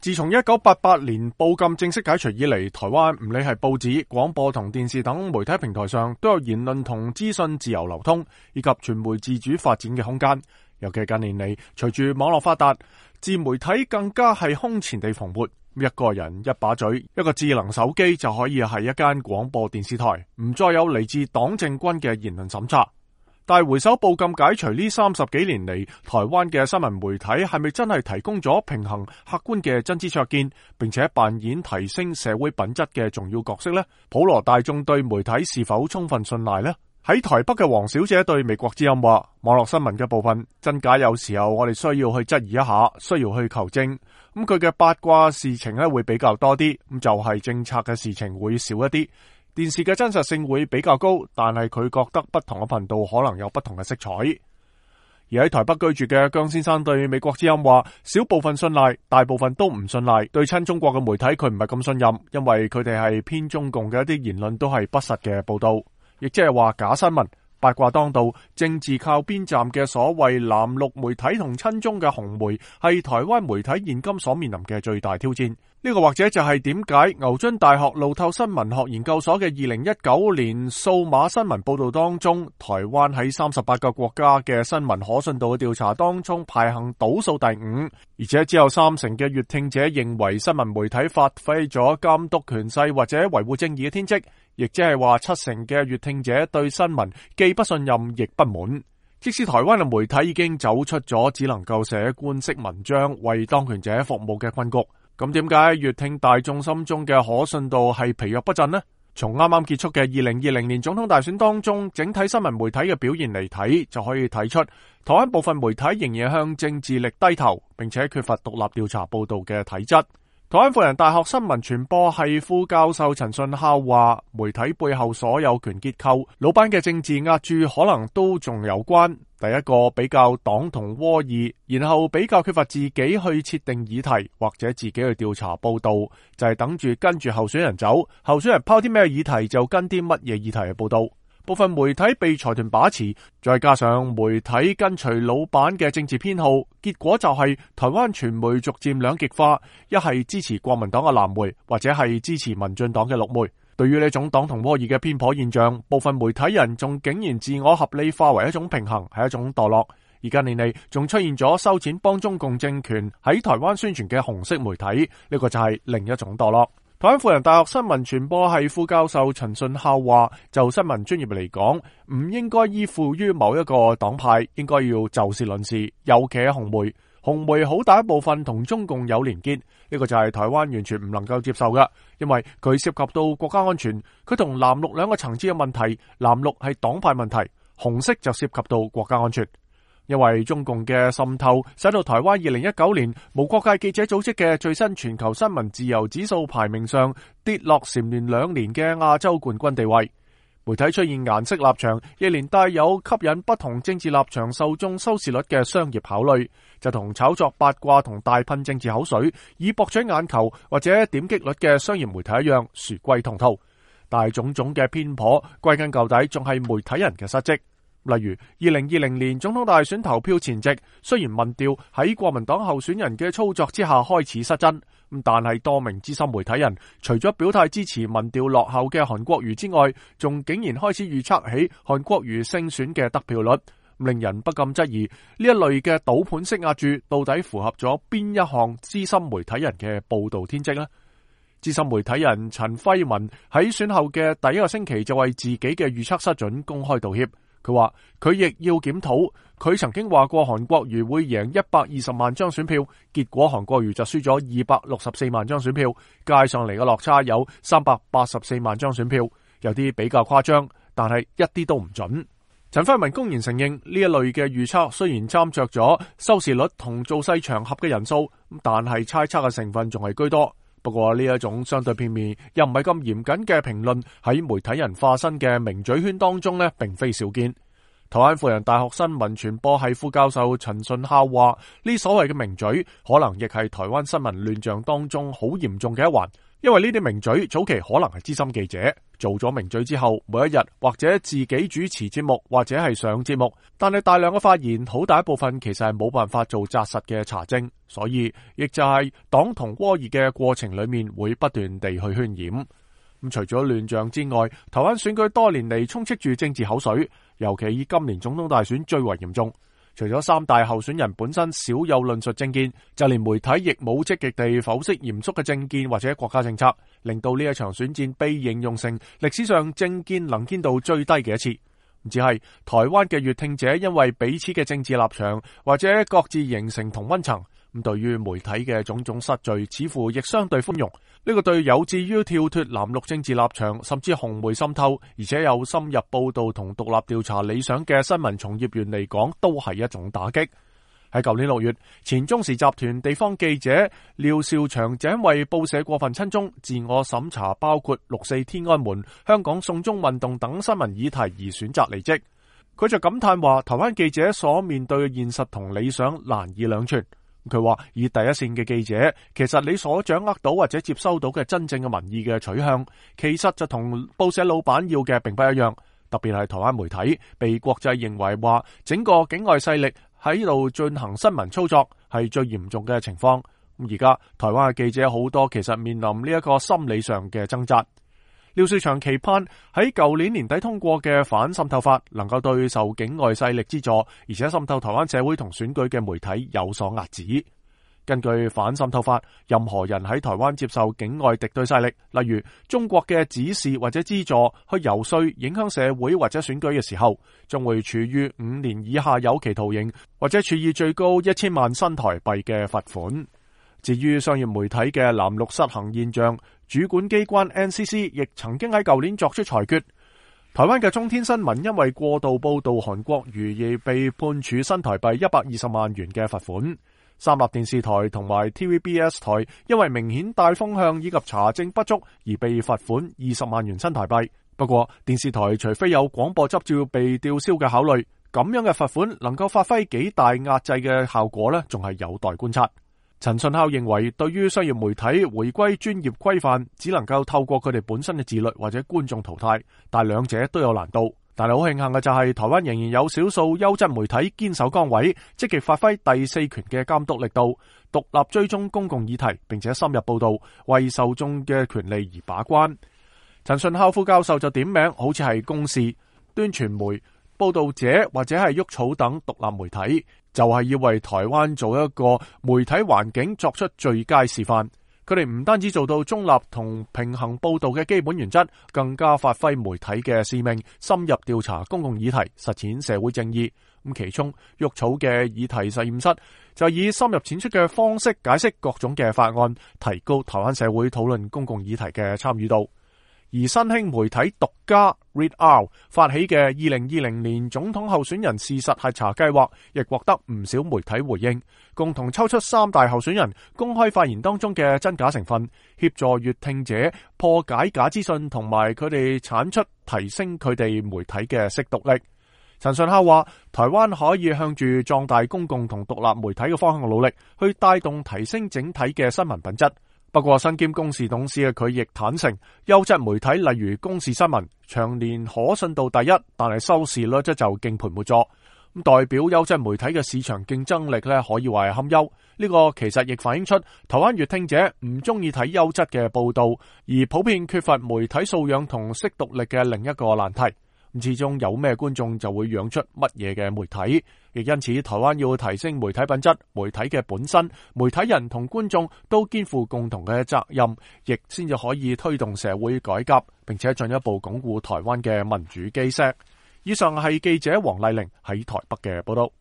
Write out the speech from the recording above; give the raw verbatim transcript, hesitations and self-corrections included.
自從一九八八年報禁正式解除以嚟，台灣唔理係報紙、廣播同電視等媒體平台上，都有言論同資訊自由流通，以及傳媒自主發展嘅空間。尤其近年嚟，隨住網絡發達，自媒體更加係空前地蓬勃。一個人一把嘴，一個智能手機就可以係一間廣播電視台，唔再有嚟自黨政軍嘅言論審查。但係回首報禁解除呢三十幾年嚟，台灣嘅新聞媒體係咪真係提供咗平衡客觀嘅真知灼見，並且扮演提升社會品質嘅重要角色呢？普羅大眾對媒體是否充分信賴呢？喺台北嘅黃小姐對美國之音話，網絡新聞嘅部分真假有時候我哋需要去質疑一下，需要去求證。咁佢嘅八卦事情咧會比較多啲，咁就係政策嘅事情會少一啲。電視嘅真實性會比較高，但係佢覺得不同嘅頻道可能有不同嘅色彩。而喺台北居住嘅姜先生對美國之音話，少部分信賴，大部分都唔信賴。對親中國嘅媒體佢唔係咁信任，因為佢哋係偏中共嘅一啲言論都係不實嘅報道，亦即係話假新聞。八卦當道，政治靠邊站嘅所謂藍綠媒體同親中嘅紅媒，係台灣媒體現今所面臨嘅最大挑戰。呢個或者就係點解牛津大學路透新聞學研究所嘅二零一九年數碼新聞報道當中，台灣喺三十八個國家嘅新聞可信度嘅調查當中排行倒數第五，而且只有三成嘅閱聽者認為新聞媒體發揮咗監督權勢或者維護正義嘅天職。亦即係話七成嘅閱聽者對新聞既不信任亦不滿。即使台灣嘅媒體已經走出咗只能夠寫官式文章為當權者服務嘅困局，咁點解閱聽大眾心中嘅可信度係疲弱不振呢？從啱啱結束嘅二零二零年總統大選當中，整體新聞媒體嘅表現嚟睇，就可以睇出台灣部分媒體仍然向政治力低頭，並且缺乏獨立調查報道嘅體質。台灣輔仁大學新聞傳播系副教授陳順孝話，媒體背後所有權結構，老闆嘅政治壓注可能都仲有關。第一個比較黨同窩異，然後比較缺乏自己去設定議題或者自己去調查報道，就係、是、等住跟住候選人走，候選人拋啲咩議題就跟啲乜嘢議題去報道。部分媒體被財團把持，再加上媒體跟隨老闆嘅政治偏好，結果就係台灣傳媒逐漸兩極化，一係支持國民黨嘅藍媒，或者係支持民進黨嘅綠媒。對於呢種黨同窩異嘅偏頗現象，部分媒體人仲竟然自我合理化為一種平衡，係一種墮落。而近年嚟仲出現咗收錢幫中共政權喺台灣宣傳嘅紅色媒體，呢個就係另一種墮落。台灣輔仁大學新聞傳播系副教授陳順孝話，就新聞專業嚟講，唔應該依附於某一個黨派，應該要就事論事，尤其係紅媒。紅媒好大一部分同中共有連結，呢個就係台灣完全唔能夠接受嘅，因為佢涉及到國家安全，佢同藍綠兩個層次嘅問題，藍綠係黨派問題，紅色就涉及到國家安全。因為中共嘅滲透，使到台灣二零一九年無國界記者組織嘅最新全球新聞自由指數排名上跌落蟬聯兩年嘅亞洲冠軍地位。媒體出現顏色立場，亦連帶有吸引不同政治立場受眾收視率嘅商業考慮，就同炒作八卦同大噴政治口水以博取眼球或者點擊率嘅商業媒體一樣，殊歸同途。但係種種嘅偏頗，歸根究底仲係媒體人嘅失職。例如二零二零年總統大選投票前夕，雖然民調喺國民黨候選人嘅操作之下開始失真，但係多名資深媒體人除咗表態支持民調落後嘅韓國瑜之外，仲竟然開始預測起韓國瑜勝選嘅得票率，令人不禁質疑呢一類嘅賭盤式壓注到底符合咗邊一項資深媒體人嘅報道天職呢？資深媒體人陳輝文喺選後嘅第一個星期就為自己嘅預測失準公開道歉。佢話佢亦要檢討，佢曾經話過韓國瑜會贏一百二十萬張選票，結果韓國瑜就輸咗二百六十四萬張選票，加上嚟嘅落差有三百八十四萬張選票，有啲比較誇張，但係一啲都唔準。陳輝文公然承認呢一類嘅預測雖然參照咗收視率同造勢場合嘅人數，但係猜測嘅成分仲係居多。不過呢一種相對片面又唔係咁嚴謹嘅評論，喺媒體人化身嘅名嘴圈當中呢，並非少見。台灣輔仁大學新聞傳播系副教授陳順孝話，呢所謂嘅名嘴可能亦係台灣新聞亂象當中好嚴重嘅一環，因為呢啲名嘴早期可能係資深記者，做咗名嘴之後，每一日或者自己主持節目或者係上節目，但係大量嘅發言，好大一部分其實係冇辦法做紮實嘅查證，所以亦就係黨同窩議嘅過程裏面會不斷地去渲染。咁除咗亂象之外，台灣選舉多年嚟充斥住政治口水，尤其以今年總統大選最為嚴重。除咗三大候選人本身少有論述政見，就連媒體亦冇積極地剖析嚴肅嘅政見或者國家政策，令到呢一場選戰被形容成歷史上政見能見度最低嘅一次。只係台灣嘅閱聽者因為彼此嘅政治立場或者各自形成同溫層，咁對於媒體嘅種種失序似乎亦相對寬容。呢個對有志於跳脫藍綠政治立場甚至紅媒滲透，而且有深入報道同獨立調查理想嘅新聞從業員嚟講，都係一種打擊。喺舊年六月，前中時集團地方記者廖兆祥就因為報社過分親中、自我審查包括六四天安門、香港送中運動等新聞議題而選擇離職。佢就感嘆話，台灣記者所面對嘅現實同理想難以兩全。佢話以第一線嘅記者，其實你所掌握到或者接收到嘅真正嘅民意嘅取向，其實就同報社老闆要嘅並不一樣。特別係台灣媒體被國際認為話整個境外勢力喺度進行新聞操作，係最嚴重嘅情況。咁而家台灣嘅記者好多其實面臨呢一個心理上嘅掙扎。廖兆祥期盼喺舊年年底通過嘅反滲透法能夠對受境外勢力資助而且滲透台灣社會同選舉嘅媒體有所遏止。根據反滲透法，任何人喺台灣接受境外敵對勢力，例如中國嘅指示或者資助去游說影響社會或者選舉嘅時候，將會處於五年以下有期徒刑或者處以最高一千萬新台幣嘅罰款。至於商業媒體嘅藍綠失衡現象，主管機關 N C C 亦曾經喺舊年作出裁決。台灣嘅中天新聞因為過度報道韓國瑜而被判處新台幣一百二十萬元嘅罰款。三立電視台同埋 T V B S 台因為明顯帶風向以及查證不足而被罰款二十萬元新台幣。不過電視台除非有廣播執照被吊銷嘅考慮，咁樣嘅罰款能夠發揮幾大壓制嘅效果呢，仲係有待觀察。陳順孝認為，對於商業媒體回歸專業規範，只能夠透過佢哋本身嘅自律或者觀眾淘汰，但兩者都有難度。但係好慶幸嘅就係，台灣仍然有少數優質媒體堅守崗位，積極發揮第四權嘅監督力度，獨立追蹤公共議題，並且深入報道，為受眾嘅權利而把關。陳順孝副教授就點名，好似係公視、端傳媒、報道者或者係鬱草等獨立媒體，就係要為台灣做一個媒體環境作出最佳示範。佢哋唔單止做到中立同平衡報道嘅基本原則，更加發揮媒體嘅使命，深入調查公共議題，實踐社會正義。咁其中鬱草嘅議題實驗室就以深入淺出嘅方式解釋各種嘅法案，提高台灣社會討論公共議題嘅參與度。而新興媒體獨家 Read Out 發起嘅二零二零年總統候選人事實核查計劃，亦獲得唔少媒體回應，共同抽出三大候選人公開發言當中嘅真假成分，協助閱聽者破解假資訊，同埋佢哋產出提升佢哋媒體嘅識讀力。陳順孝話，台灣可以向住壯大公共同獨立媒體嘅方向努力，去帶動提升整體嘅新聞品質。不過，身兼公視董事嘅佢亦坦承，優質媒體例如公視新聞，長年可信度第一，但係收視率則就敬陪末座。咁代表優質媒體嘅市場競爭力咧，可以話係堪憂。呢個其實亦反映出台灣閱聽者唔中意睇優質嘅報道，而普遍缺乏媒體素養同識讀力嘅另一個難題。咁始終有咩觀眾就會養出乜嘢嘅媒體，亦因此台灣要提升媒體品質，媒體嘅本身、媒體人同觀眾都肩負共同嘅責任，亦先至可以推動社會改革，並且進一步鞏固台灣嘅民主基石。以上係記者黃麗玲喺台北嘅報道。